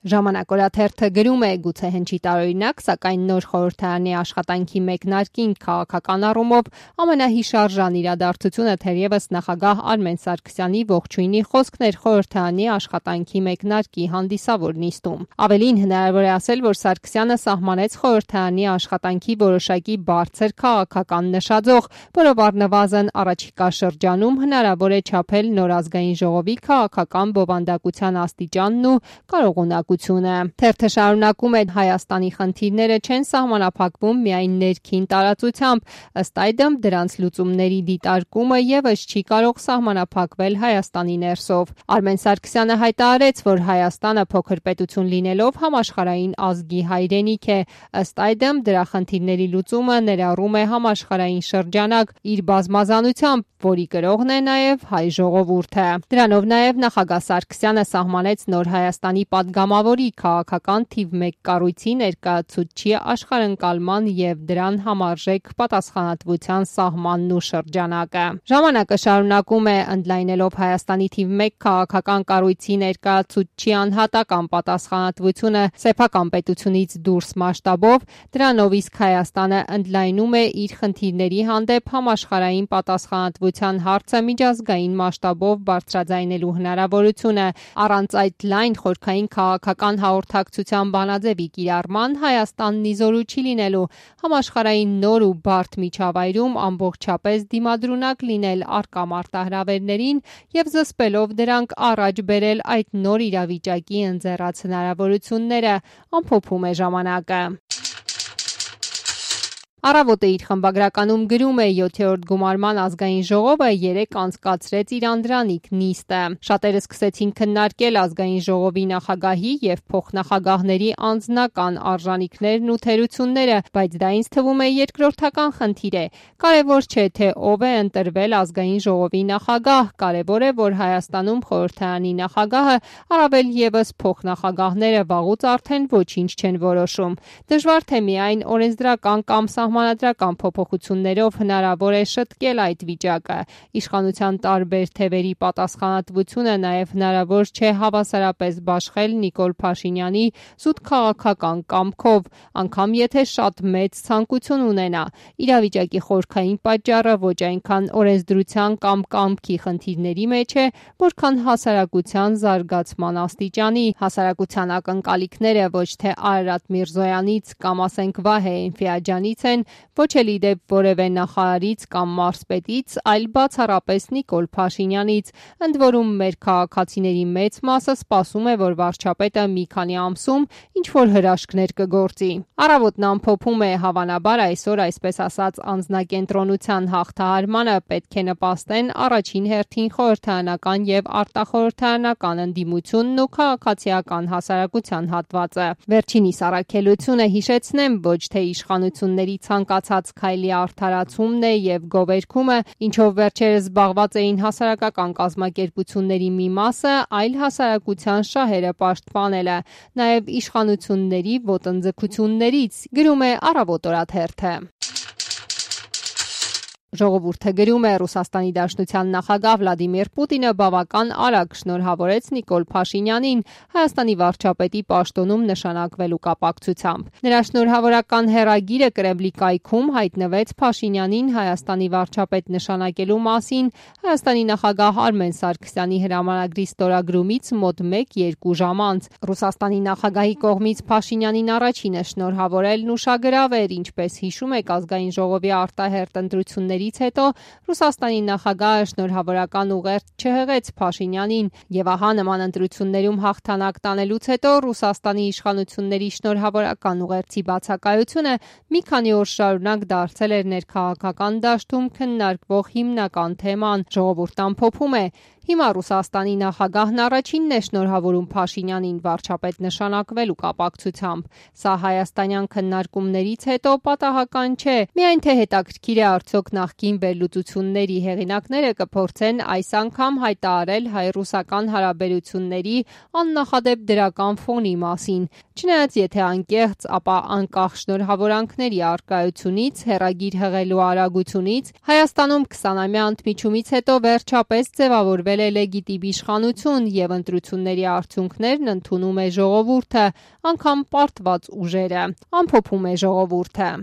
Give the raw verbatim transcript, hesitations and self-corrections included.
Ժամանակ օրաթերթը գրում է գուցե հնչի տարօրինակ, սակայն նոր խորհրդարանի աշխատանքի մեկնարկին քաղաքական առումով ամենահիշարժան իրադարձությունը թերևս նախագահ Արմեն Սարգսյանի ողջույնի խոսքն էր խորհրդարանի աշխատանքի մեկնարկի հանդիսավոր նիստում։ Ավելին հնարավոր է ասել, որ Սարգսյանը սահմանեց խորհրդարանի աշխատանքի որոշակի բարձր քաղաքական նշաձող, որով առնվազն առաջիկա շրջանում հնարավոր է չափել նոր ազգային ժողովի քաղաքական բովանդակության աստիճանն ու կարողունակությունը։ Թերթը շարունակում է. Հայաստանի խնդիրները չեն սահմանափակվում միայն ներքին տարածությամբ, ըստ այդմ դրանց լուծումների դիտարկումը ևս չի կարող սահմանափակվել Հայաստանի ներսով։ Արմեն Սարգսյանը հայտարարեց, որ Հայաստանը փոքր պետություն լինելով համաշխարհային ազգի հայրենիք է, ըստ այդմ դրա խնդիրների լուծումը ներառում է համաշխարհային շրջանակ իր բազմազանությամբ, որի կրողն է նաև հայ ժողովուրդը։ Դրանով նաև նախագահ Սարգսյանը սահմանեց նոր Հայաստանի падգամավորի քաղաքական թիվ մեկ կառույցի ներկայացուցչի աշխարհընկալման և դրան համարժեք պատասխանատվության սահմանն ու շրջանակը։ Ժամանակը շարունակում է ընդլայնելով Հայաստանի թիվ մեկ քաղաքական կառույցի ներկայացուցչի անհատական պատասխանատվությունը սեփական պետությունից դուրս մասշտաբով, դրանով իսկ Հայաստանը ընդլայնում է իր խնդիրների հանդեպ համաշխարհային պատասխանատվության հարցը միջազգային մասշտաբով բարձրաձայնելու հնարավորությունը։ Առանց այդ լայն խորքային քաղաքական հաղորդակցության բանաձևի կիրառման Հայաստանն իզորու չի լինելու համաշխարհային նոր ու բարդ միջավայրում ամբողջապես դիմադրունակ լինել առկա մարտահրավերներին և զսպելով դրանք առաջ բերել այդ նոր իրավիճակի ընձեռած հնարավորությունները, ամփոփում է ժամանակը։ Առավոտը իր խմբագրականում գրում է. յոթերորդ գումարման ազգային ժողովը երեկ անցկացրեց իր անդրանիկ նիստը։ Շատերը սկսեցին քննարկել ազգային ժողովի նախագահի և փոխնախագահների անձնական արժանինքներն ու թերությունները, բայց դա ինձ թվում է երկրորդական խնդիր է։ Կարևոր չէ, թե ով է ընտրվել ազգային ժողովի նախագահ, կարևոր է, որ Հայաստանում խորհրդարանի նախագահը, առավել ևս փոխնախագահները վաղուց արդեն ոչինչ չեն որոշում։ Դժվար թե միայն օրենսդրական կամ սահմանադրական փոփոխություններով հնարավոր է շտկել այդ վիճակը։ Իշխանության տարբեր թևերի պատասխանատվությունը նաև հնարավոր չէ հավասարապես բաշխել Նիկոլ Փաշինյանի զուտ քաղաքական կամքով, անգամ եթե շատ մեծ ցանկություն ունենա։ Իրավիճակի խորքային պատճառը ոչ այնքան օրենսդրության կամ կամքի խնդիրների մեջ է, որքան հասարակության զարգացման աստիճանի։ Հասարակության ակնկալիքները ոչ թե Արարատ Միրզոյանից կամ ասենք Վահե Էնֆիաջյանից են, ոչ էլ ի դեպ որևէ նախարարից կամ մարզպետից, այլ բացառապես Նիկոլ Փաշինյանից, ընդ որում մեր քաղաքացիների մեծ մասը սպասում է, որ վարչապետը մի քանի ամսում ինչ-որ հրաշքներ կգործի։ Առավոտն ամփոփում է. հավանաբար այսօր, այսպես ասած, անձնակենտրոնության հաղթահարմանը պետք է նպաստեն առաջին հերթին խորհրդարանական և արտախորհրդարանական ընդդիմությունն ու քաղաքացիական հասարակության հատվածը։ Վերջինիս առաքելությունը, հիշեցնեմ, ոչ թե իշխանությունների ցանկացած քայլի արդարացումն է և գովերգումը, ինչով վերջերս զբաղված էին հասարակական կազմակերպությունների մի մասը, այլ հասարակության շահերը պաշտպանելը, նաև իշխանությունների ոտնձգություններից, գրում է Առավոտ օրաթերթը։ Ժողովուրդը գրում է. Ռուսաստանի Դաշնության նախագահ Վլադիմիր Պուտինը բավական արագ շնորհավորեց Նիկոլ Փաշինյանին Հայաստանի վարչապետի պաշտոնում նշանակվելու կապակցությամբ։ Նրա շնորհավորական հեռագիրը Կրեմլի կայքում հայտնվեց Փաշինյանին Հայաստանի վարչապետ նշանակելու մասին Հայաստանի նախագահ Արմեն Սարգսյանի հրամանագրի ստորագրումից մոտ մեկ-երկու ժամ անց։ Ռուսաստանի նախագահի կողմից Փաշինյանին առաջինը շնորհավորելն ուշագրավ էր, ինչպես հիշում եք ազգային ժողովի արտահերթ ընտրությունների հետո Ռուսաստանի նախագահը շնորհավորական ուղերձ չհղեց Փաշինյանին, եւ ահա նման ընտրություններում հաղթանակ տանելուց հետո Ռուսաստանի իշխանությունների շնորհավորական ուղերձի բացակայությունը մի քանի օր շարունակ դարձել էր ներքաղաքական դաշտում քննարկվող հիմնական թեման։ Ժողովուրդն ամփոփում է. Հիմա Ռուսաստանի նախագահն առաջինն է շնորհավորում Փաշինյանին վարչապետ նշանակվելու կապակցությամբ։ Սա հայաստանյան քննարկումներից հետո պատահական չէ, միայն թե հետաքրքիր է արդյոք նախկին վերլուծությունների հեղինակները կփորձեն այս անգամ հայտարարել հայ-ռուսական հարաբերությունների աննախադեպ դրական ֆոնի մասին։ Չնայած եթե անկեղծ, ապա անկախ շնորհավորանքների առկայությունից, հեռագիր հղելու արագությունից, Հայաստանում քսանամյա ընդմիջումից հետո վերջապես ձևավորվել է լեգիտիմ իշխանություն և ընտրությունների արդյունքներն ընդունում է ժողովուրդը, անգամ պարտված ուժերը, ամփոփում է ժողովուրդը։